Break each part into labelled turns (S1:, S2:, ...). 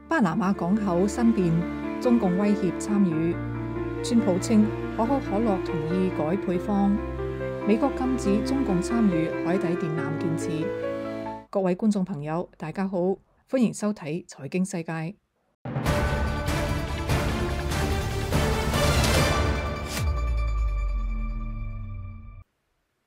S1: 巴拿馬港口申辯，中共威脅參與。川普稱可口可樂同意改配方。美國禁止中共參與海底電纜建設。各位觀眾朋友，大家好，歡迎收睇財經世界。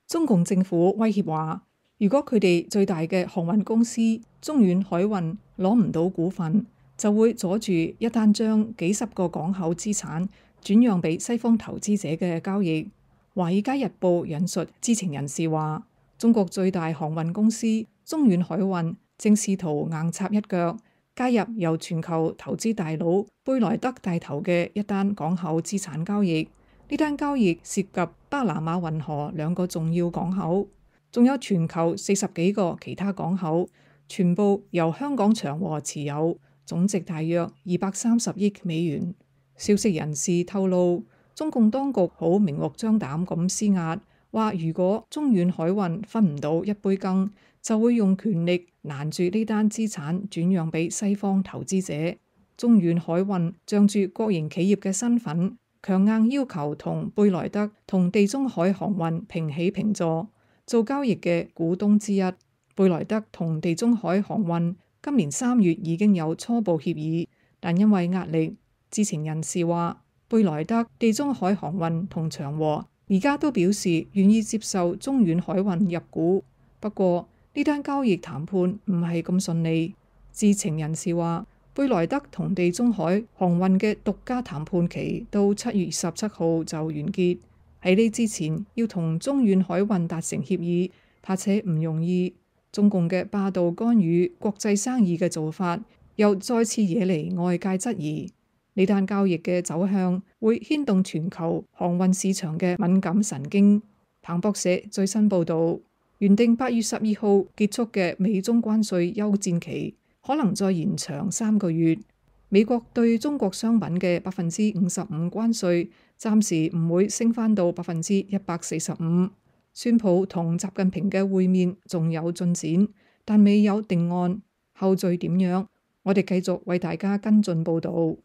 S1: 中共政府威脅話，如果佢哋最大嘅航運公司中遠海運攞唔到股份，就會阻住一單將幾十個港口資產轉讓俾西方投資者嘅交易。華爾街日報引述知情人士話，中國最大航運公司中遠海運正試圖硬插一腳，加入由全球投資大佬貝萊德帶頭嘅一單港口資產交易。呢單交易涉及巴拿馬運河2個重要港口，仲有全球40幾個其他港口，全部由香港長和持有，總值大約230億美元。消息人士透露，中共當局好明目張膽咁施壓，話如果中遠海運分唔到一杯羹，就會用權力攔住呢單資產轉讓俾西方投資者。中遠海運仗住國營企業嘅身份，強硬要求同貝萊德同地中海航運平起平坐，做交易嘅股東之一。貝萊德同地中海航運今年3月已經有初步協議，但因為壓力，知情人士話，貝萊德、地中海航運同長和而家都表示願意接受中遠海運入股。不過呢單交易談判唔係咁順利。知情人士話，貝萊德同地中海航運嘅獨家談判期到7月27號就完結。喺呢之前要同中遠海運達成協議，怕且唔容易。中共嘅霸道干預國際生意嘅做法，又再次惹嚟外界質疑。呢單交易嘅走向會牽動全球航運市場嘅敏感神經。彭博社最新報導，原定8月12號結束嘅美中關稅休戰期，可能再延長3個月。美國對中國商品嘅55%關稅，暫時唔會升返到145%。川普同習近平嘅會面仲有進展，但未有定案，後續點樣？我哋繼續為大家跟進報導。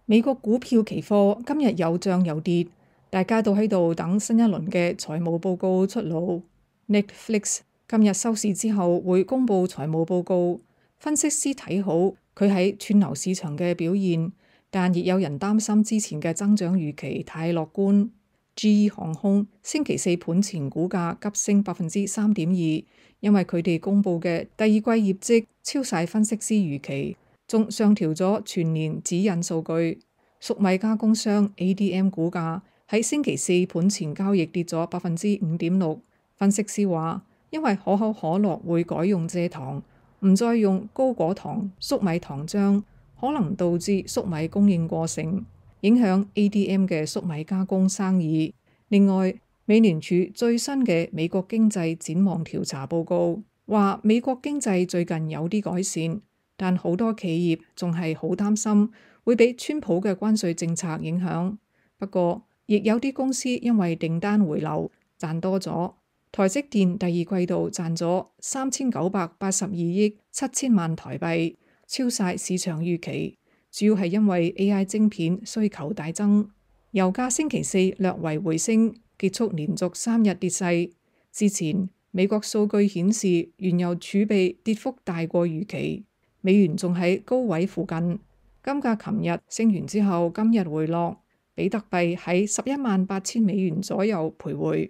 S1: 美國股票期貨今日有漲有跌，大家都喺度等新一輪嘅財務報告出爐。Netflix 今日收市之後會公布財務報告，分析師睇好佢喺串流市場嘅表現，但亦有人擔心之前嘅增長預期太樂觀。GE 航空星期四盤前股價急升3.2%，因為佢哋公布嘅第二季業績超晒分析師預期，仲上調咗全年指引數據。粟米加工商 ADM 股價喺星期四盤前交易跌咗5.6%。分析師話，因為可口可樂會改用蔗糖，唔再用高果糖粟米糖漿，可能導致粟米供應過剩，影響 ADM 嘅粟米加工生意。另外，美聯儲最新嘅美國經濟展望調查報告話，美國經濟最近有啲改善，但好多企業仲係好擔心會俾川普嘅關稅政策影響。不過，亦有啲公司因為訂單回流賺多咗。台積電第二季度賺咗3982億7千萬台幣，超晒市場預期。主要係因為 AI 晶片需求大增。油價星期四略為回升，結束連續3日跌勢。之前美國數據顯示原油儲備跌幅大過預期，美元仲喺高位附近。金價琴日升完之後，今日回落，比特幣喺118000美元左右徘徊。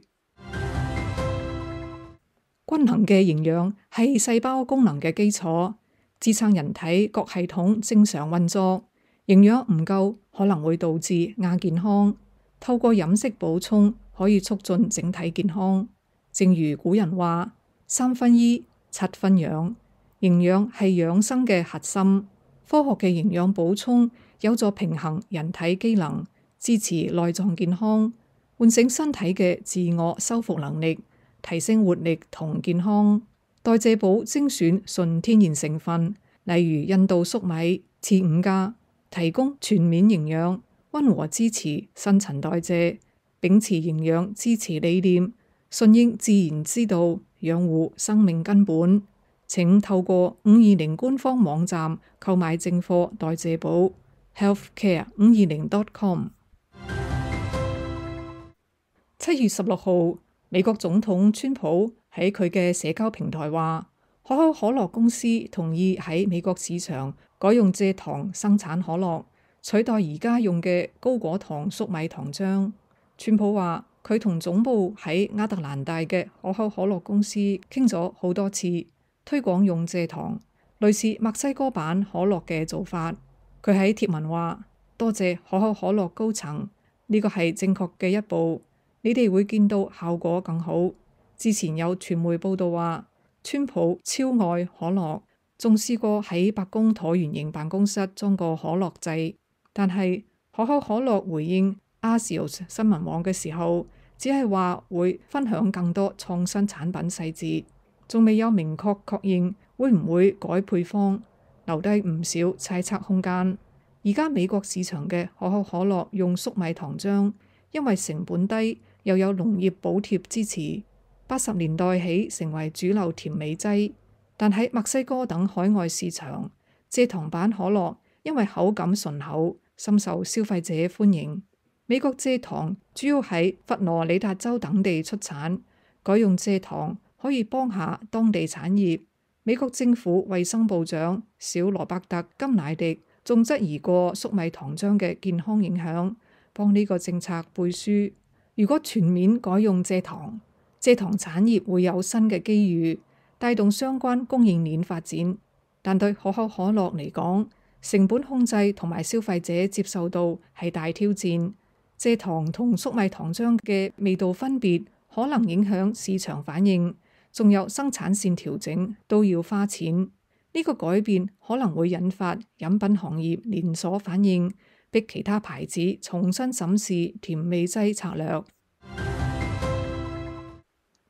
S1: 均衡嘅營養係細胞功能嘅基礎，支撐人體各系統正常運作。營養唔夠可能會導致亞健康，透過飲食補充可以促進整體健康。正如古人話：3分醫，7分養。營養係養生嘅核心。科學嘅營養補充有助平衡人體機能，支持內臟健康，喚醒身體嘅自我修復能力，提升活力同健康。代謝寶精選純天然成分，例如印度粟米、次5加，提供全面營養，溫和支持新陳代謝，秉持營養支持理念，順應自然之道，養護生命根本。請透過520官方網站購買正貨代謝寶 healthcare520.com。7月16號，美國總統川普喺佢嘅社交平台話，可口可樂公司同意喺美國市場改用蔗糖生產可樂，取代而家用嘅高果糖粟米糖漿。川普話，佢同總部喺亞特蘭大嘅可口可樂公司傾咗好多次，推廣用蔗糖，類似墨西哥版可樂嘅做法。佢喺貼文話，多謝可口可樂高層，呢個係正確嘅一步，你哋會見到效果更好。之前有傳媒報道話，川普超愛可樂，仲試過喺白宮橢圓形辦公室裝個可樂掣，但係可口可樂回應Axios 新聞網嘅時候，只係話會分享更多創新產品細節，仲未有明確確認會唔會改配方，留低唔少猜測空間。而家美國市場嘅可口可樂用粟米糖漿，因為成本低，又有農業補貼支持，80年代起成為主流甜美劑。但喺墨西哥等海外市場，蔗糖版可樂因為口感順口，深受消費者歡迎。美國蔗糖主要喺佛羅里達州等地出產，改用蔗糖可以幫下當地產業。美國政府衛生部長小羅伯特金乃迪仲質疑過粟米糖漿嘅健康影響，幫呢個政策背書。如果全面改用蔗糖產業會有新嘅機遇，帶動相關供應鏈發展。但對可口可樂嚟講，成本控制同埋消費者接受度係大挑戰。蔗糖同粟米糖漿嘅味道分別可能影響市場反應，仲有生產線調整都要花錢。呢個改變可能會引發飲品行業連鎖反應，逼其他牌子重新審視甜味劑策略。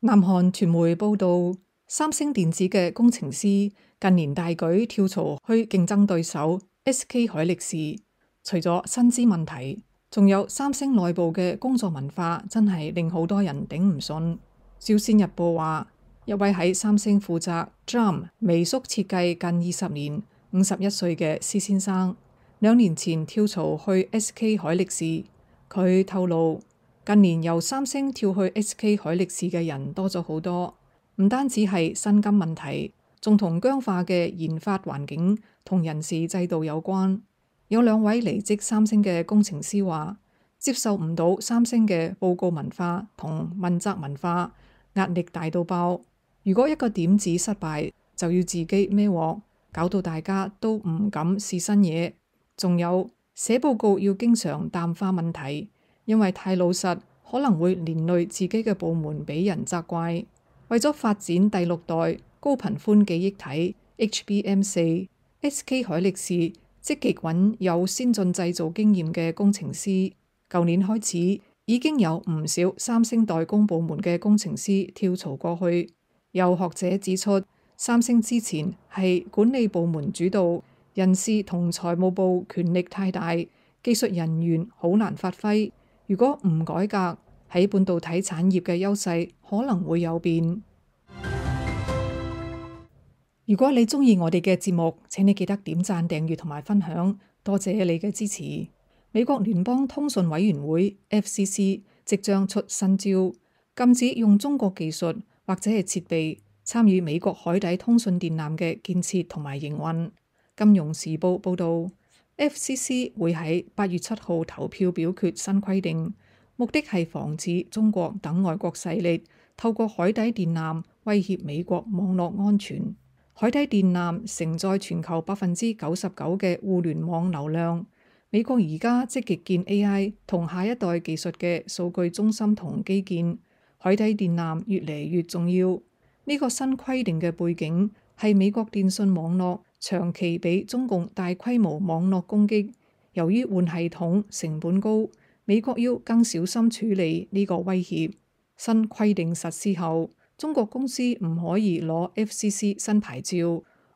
S1: 南韓傳媒報道，三星電子嘅工程師近年大舉跳槽去競爭對手 SK 海力士，除咗薪資問題，仲有三星內部嘅工作文化真係令好多人頂唔順。朝鮮日報話，一位喺三星負責 DRAM 微縮設計近20年、51歲嘅施先生，2年前跳槽去 SK 海力士。佢透露，近年由三星跳去 SK 海力士嘅人多咗好多，唔單止係薪金問題，仲同僵化嘅研發環境同人事制度有關。有2位離職三星嘅工程師話，接受唔到三星嘅報告文化同問責文化，壓力大到爆。如果一個點子失敗，就要自己孭鑊，搞到大家都唔敢試新嘢。仲有寫報告要經常淡化問題，因為太老實可能會連累自己嘅部門俾人責怪。為咗發展第6代高頻寬記憶體 HBM4，SK 海力士積極揾有先進製造經驗嘅工程師。舊年開始已經有唔少三星代工部門嘅工程師跳槽過去。有學者指出，三星之前係管理部門主導，人事同財務部權力太大，技術人員好難發揮。如果唔改革，喺半導體產業嘅優勢可能會有變。如果你鍾意我哋嘅節目，請你記得點讚、訂閱同埋分享，多謝你嘅支持。美國聯邦通訊委員會 FCC 即將出新招，禁止用中國技術或者係設備參與美國海底通訊電纜嘅建設同埋營運。金融時報報導，FCC 會喺8月7號投票表決新規定，目的係防止中國等外國勢力透過海底電纜威脅美國網絡安全。海底電纜承載全球99%嘅互聯網流量。美國而家積極建 AI 同下一代技術嘅數據中心同基建，海底電纜越嚟越重要。呢個新規定嘅背景係美國電信網絡長期俾中共大規模網絡攻擊，由於換系統成本高，美國要更小心處理呢個威脅。新規定實施後，中國公司唔可以攞 FCC 新牌照，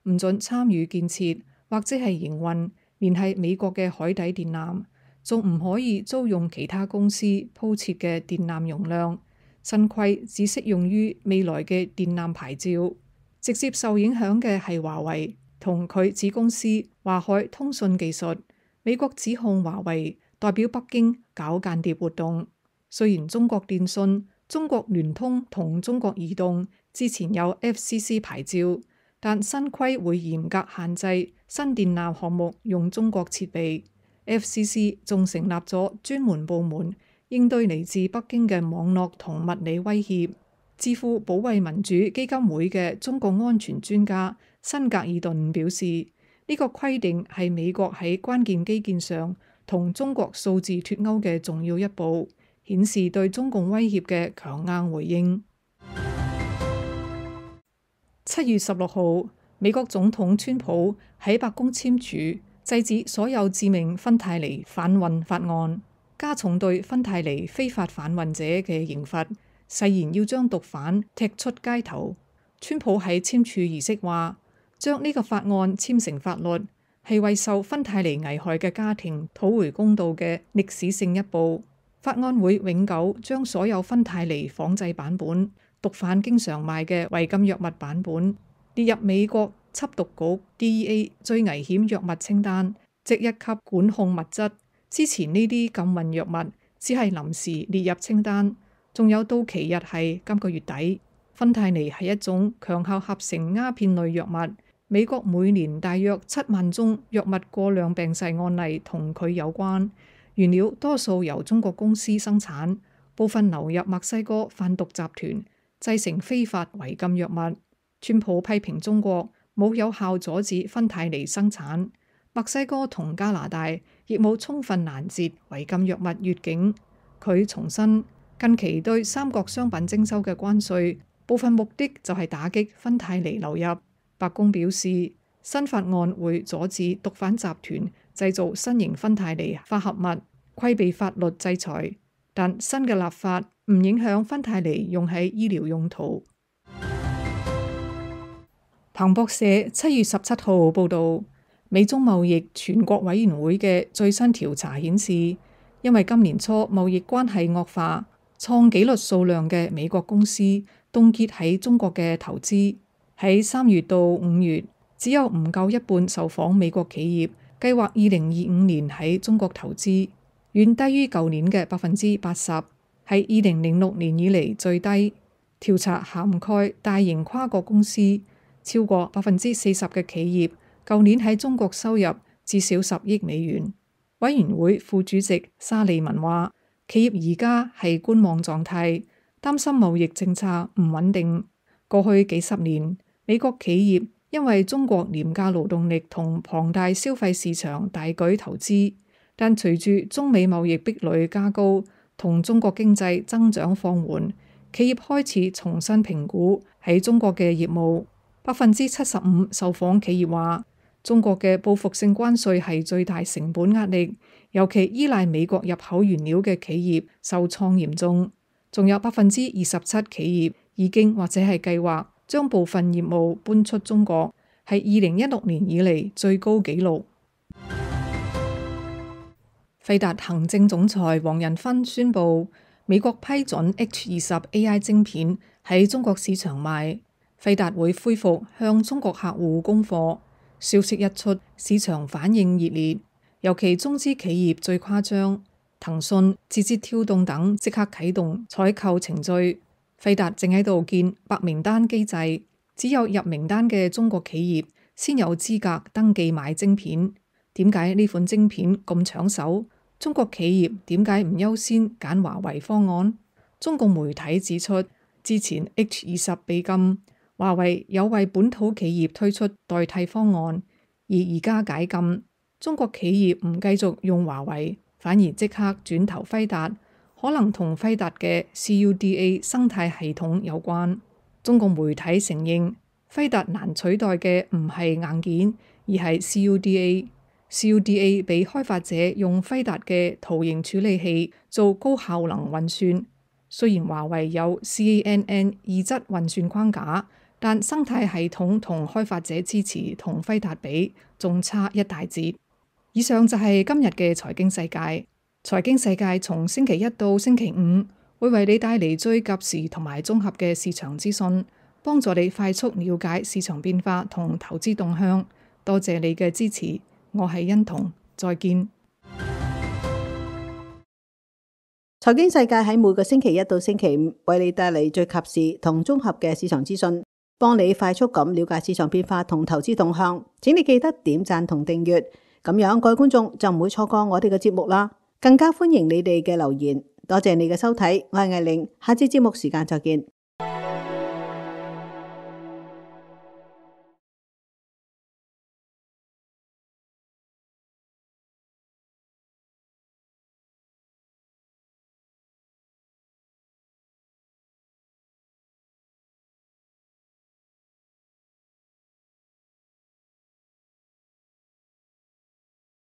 S1: 唔准參與建設或者係營運連繫美國嘅海底電纜，仲唔可以租用其他公司鋪設嘅電纜容量。新規只適用於未來嘅電纜牌照。直接受影響嘅係華為同佢子公司華海通訊技術。美國指控華為代表北京搞間諜活動。雖然中國電信、中國聯通同中國移動之前有 FCC 牌照，但新規會嚴格限制新電纜項目用中國設備。FCC 仲成立咗專門部門應對嚟自北京嘅網絡同物理威脅。智庫保衛民主基金會嘅中國安全專家辛格爾頓表示，呢個規定係美國喺關鍵基建上同中國數字脫鈎嘅重要一步，顯示對中共威脅嘅強硬回應。7月16號，美國總統川普喺白宮簽署制止所有致命芬太尼販運法案，加重對芬太尼非法販運者嘅刑罰，誓言要將毒販踢出街頭。川普喺簽署儀式話，將呢個法案簽成法律係為受芬太尼危害嘅家庭討回公道嘅歷史性一步。法案會永久將所有芬太尼仿製版本、毒販經常賣嘅違禁藥物版本列入美國緝毒局 DEA 最危險藥物清單，即一級管控物質。之前呢啲禁運藥物只係臨時列入清單，仲有到期日係今個月底。芬太尼係一種強效合成鴉片類藥物，美國每年大約7萬宗藥物過量病逝案例同佢有關。原料多數由中國公司生產，部分流入墨西哥販毒集團，製成非法違禁藥物。川普批評中國冇有效阻止芬太尼生產，墨西哥同加拿大亦冇充分攔截違禁藥物越境。佢重申近期對三國商品徵收嘅關稅，部分目的就係打擊芬太尼流入。白宮表示，新法案會阻止毒販集團製造新型芬太尼化合物，規避法律制裁，但新嘅立法唔影響芬太尼用喺醫療用途。彭博社7月17號報導，美中貿易全國委員會嘅最新調查顯示，因為今年初貿易關係惡化，創紀錄數量嘅美國公司凍結喺中國嘅投資。喺3月到5月，只有唔夠一半受訪美國企業計劃2025年喺中國投資，遠低於舊年嘅80%，係2006年以嚟最低。調查涵蓋大型跨國公司，超過40%嘅企業舊年喺中國收入至少10億美元。委員會副主席沙利文話，企業而家係觀望狀態，擔心貿易政策唔穩定。過去幾十年，美國企業因為中國廉價勞動力同龐大消費市場大舉投資，但隨住中美貿易壁壘加高同中國經濟增長放緩，企業開始重新評估喺中國嘅業務。75%受訪企業話，中國嘅報復性關稅係最大成本壓力，尤其依賴美國入口原料嘅企業受創嚴重。仲有27%企業已經或者係計劃將部分業務搬出中國，係2016年以嚟最高紀錄。費達行政總裁黃仁勳宣布，美國批准 H20 AI 晶片喺中國市場賣，費達會恢復向中國客戶供貨。消息一出，市場反應熱烈，尤其中資企業最誇張，騰訊、字節跳動等即刻啟動採購程序。費達正喺度建白名單機制，只有入名單嘅中國企業先有資格登記買晶片。點解呢款晶片咁搶手？中國企業點解唔優先揀華為方案？中共媒體指出，之前 H20 被禁，華為有為本土企業推出代替方案，而家解禁，中國企業唔繼續用華為，反而即刻轉投輝達，可能同輝達嘅 CUDA 生態系統有關。中共媒體承認，輝達難取代嘅唔係硬件，而係 CUDA。CUDA 俾開發者用輝達嘅圖形處理器做高效能運算。雖然華為有 CNN 異質運算框架，但生態系統同開發者支持同輝達比仲差一大截。以上就係今日嘅財經世界。財經世界從星期一到星期五會為你帶嚟最及時同埋綜合嘅市場資訊。幫助你快速了解市場變化同投資動向。多謝你嘅支持，我係欣彤，再見。
S2: 財經世界喺每個星期一到星期五為你帶嚟最及時同綜合嘅市場資訊，幫你快速咁了解市場變化同投資動向。請你記得點讚同訂閱，咁樣各位觀眾就唔會錯過我哋嘅節目啦。更加歡迎你哋嘅留言。多謝你嘅收睇，我係藝玲，下次節目時間再見。